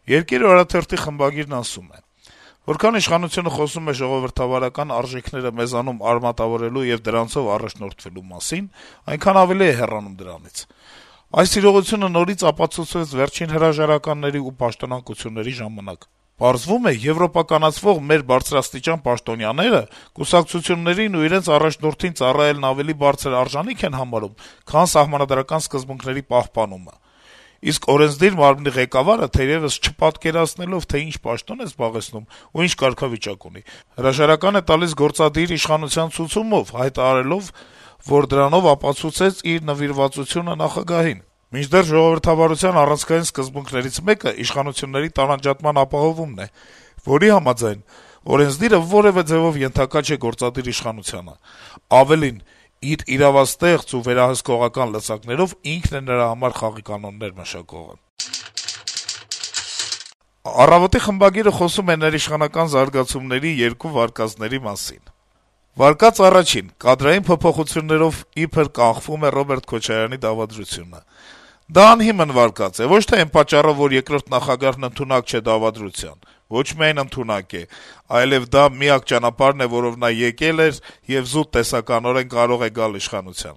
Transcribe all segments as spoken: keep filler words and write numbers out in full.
Երկիր օրաթերթի խմբագիրն ասում է. Որքան իշխանությունը խոսում է ժողովրդավարական արժեքները մեզանում արմատավորելու եւ դրանցով առաջնորդվելու մասին, այնքան ավելի է հեռանում դրանից։ Այս իրողությունը նորից ապացուցվեց վերջին հրաժարականների ու պաշտոնանկությունների ժամանակ։ Պարզվում է, եվրոպականացվող մեր բարձրաստիճան պաշտոնյաները կուսակցություններին ու իրենց առաջնորդին ծառայելն ավելի բարձր արժանիք են համարում, քան սահմանադրական սկզբունքների պահպանումը։ Իսկ օրենսդիր մարմնի ղեկավարը թերեւս չպատկերացնելով, թե ինչ պաշտոն է զբաղեցնում ու ինչ կարգավիճակ ունի, հրաժարական է տալիս գործադիր իշխանության ցուցումով, հայտարարելով, որ դրանով ապացուցեց իր նվիրվածությունը նախագահին։ Մինչդեռ ժողովրդավարության առանցքային սկզբունքներից մեկը իշխանությունների տարանջատման ապահովումն է, որի համաձայն օրենսդիրը որեւէ ձեւով ենթակա չէ գործադիր իշխանությանը։ Ավելին, իր իրավաստեղծ ու վերահսկողական լծակներով ինքն է նրա համար խաղի կանոններ մշակողը։ «Առավոտ»-ի խմբագիրը խոսում է ներիշխանական զարգացումների երկու վարկածների մասին. - Վարկած առաջին. կադրային փոփոխություններով իբր կանխվում է Ռոբերտ Քոչարյանի դավադրությունը: Դա անհիմն վարկած է, ոչ թե այն պատճառով, որ երկրորդ նախագահն ընդունակ չէ դավադրության: Ոչ միայն ընդունակ է, այլեւ դա միակ ճանապարհն է, որով նա եկել էր եւ զուտ տեսականորեն կարող է գալ իշխանության: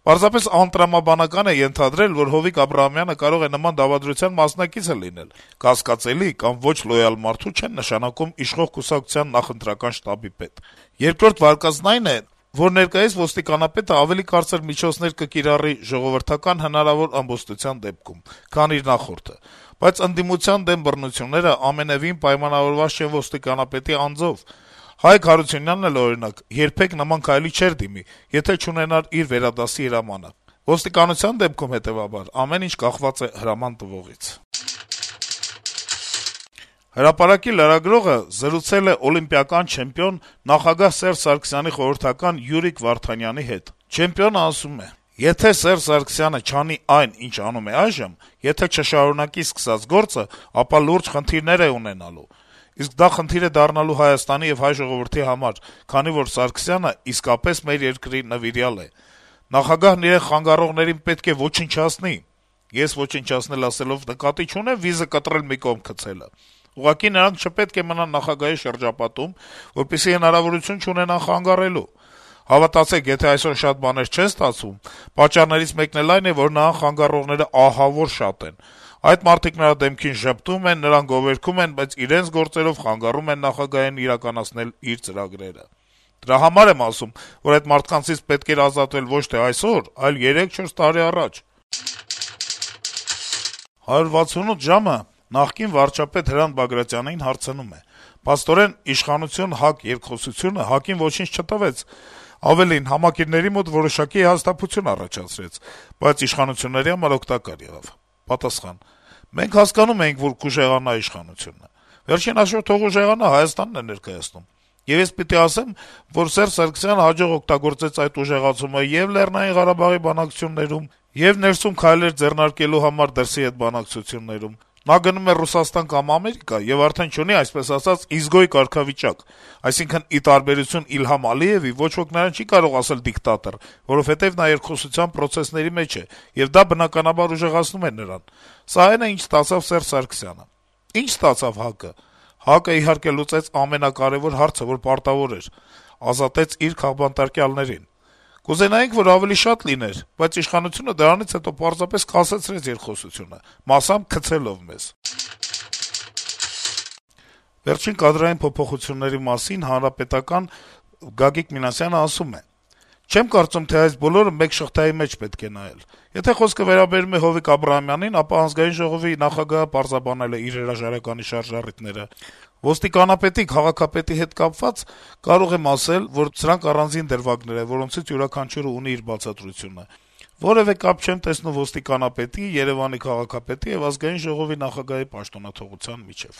Պարզապես անտրամաբանական է ենթադրել, որ Հովիկ Աբրահամյանը կարող է նման դավադրության մասնակիցը լինել: Կասկածելի կամ ոչ լոյալ մարդու չեն նշանակում իշխող կուսակցության նախընտրական շտաբի պետ: Երկրորդ վարկածն այն է, որ ներկայիս ոստիկանապետը ավելի կարծր միջոցներ կկիրառի ժողովրդական հնարավոր ամբոստության դեպքում, քան իր նախորդը: Բայց ընդդիմության դեմ բռնությունները ամենեւին պայմանավորված չեն ոստիկանապետի անձով: Հայկ Հարությունյանն էլ, օրինակ, երբեք նման քայլի չէր դիմի, եթե չունենար իր վերադասի հրամանը: Ոստիկանության դեպքում, հետեւաբար, ամեն ինչ կախված է հրաման տվողից»: «Հրապարակ»-ի լրագրողը զրուցել է օլիմպիական չեմպիոն, նախագահ Սերժ Սարգսյանի խորհրդական Յուրիկ Վարդանյանի հետ: Չեմպիոնը ասում է. - «Եթե Սերժ Սարգսյանը չանի այն, ինչ անում է այժմ, եթե չշարունակի սկսած գործը, ապա լուրջ խնդիրներ է ունենալու: Իսկ դա խնդիր է դառնալու Հայաստանի եւ հայ ժողովրդի համար, քանի որ Սարգսյանը իսկապես մեր երկրի նվիրյալ է: Նախագահն իրեն խանգարողներին պետք է ոչնչացնի: Ես ոչնչացնել ասելով նկատի չունեմ վիզը կտրել մի կողմ գցելը: Ուղղակի նրանք չպետք է մնան նախագահի շրջապատում, որպեսզի հնարավորություն չունենան խանգարելու: Հավատացեք, եթե այսօր շատ բաներ չեն ստացվում, պատճառներից մեկն էլ այն է, որ նրան խանգարողները ահավոր շատ են: Այդ մարդիկ նրա դեմքին ժպտում են, նրան գովերգում են, բայց իրենց գործերով խանգարում են նախագահին իրականացնել իր ծրագրերը: Դրա համար եմ ասում, որ այդ մարդկանցից պետք էր ազատվել ոչ թե այսօր, այլ երեք-չորս տարի առաջ»: «հարյուր վաթսունութ ժամ»-ը նախկին վարչապետ Հրանտ Բագրատյանին հարցնում է. - «Փաստորեն, իշխանություն-ՀԱԿ երկխոսությունը ՀԱԿ-ին ոչինչ չտվեց, ավելին, համակիրների մոտ որոշակի հիասթափություն առաջացրեց, բայց իշխանությունների համար օգտակար եղավ»: Պատասխան. - «Մենք հասկանում էինք, որ կուժեղանա իշխանությունը: Վերջին հաշվով թող ուժեղանա, Հայաստանն է ներկայացնում: Եվ ես պիտի ասեմ, որ Սերժ Սարգսյանը հաջող օգտագործեց այդ ուժեղացումը ե՛ւ Լեռնային Ղարաբաղի բանակցություններում, ե՛ւ ներսում քայլեր ձեռնարկելու համար դրսի հետ բանակցություններում: Նա գնում է Ռուսաստան կամ Ամերիկա եւ արդեն չունի, այսպես ասած, իզգոյ կարգավիճակ: Այսինքն, ի տարբերություն Իլհամ Ալիեւի, ոչ ոք նրան չի կարող ասել դիկտատոր, որովհետեւ նա երկխոսության պրոցեսների մեջ է, եւ դա բնականաբար ուժեղացնում է նրան: Սա այն է, ինչ ստացավ Սերժ Սարգսյանը: Ինչ ստացավ ՀԱԿ-ը: ՀԱԿ-ը, իհարկե, լուծեց ամենակարեւոր հարցը, որ պարտավոր էր: Ազատեց իր քաղբանտարկյալներին: Կուզենայինք, որ ավելի շատ լիներ, բայց իշխանությունը դրանից հետո պարզապես կասեցրեց երկխոսությունը, մասամբ քցելով մեզ»: Վերջին կադրային փոփոխությունների մասին Հանրապետական Գագիկ Մինասյանը ասում է. - «Չեմ կարծում, թե այս բոլորը մեկ շղթայի մեջ պետք է նայել: Եթե խոսքը վերաբերում է Հովիկ Աբրահամյանին, ապա Ազգային ժողովի նախագահը պարզաբանել է իր հրաժարականի շարժառիթները: Ոստիկանապետի, քաղաքապետի հետ կապված կարող եմ ասել, որ սրանք առանձին դրվագներ են, որոնցից յուրաքանչյուրը ունի իր բացատրությունը: Որեւէ կապ չեմ տեսնում ոստիկանապետի, Երեւանի քաղաքապետի եւ Ազգային ժողովի նախագահի պաշտոնաթողության միջեւ»: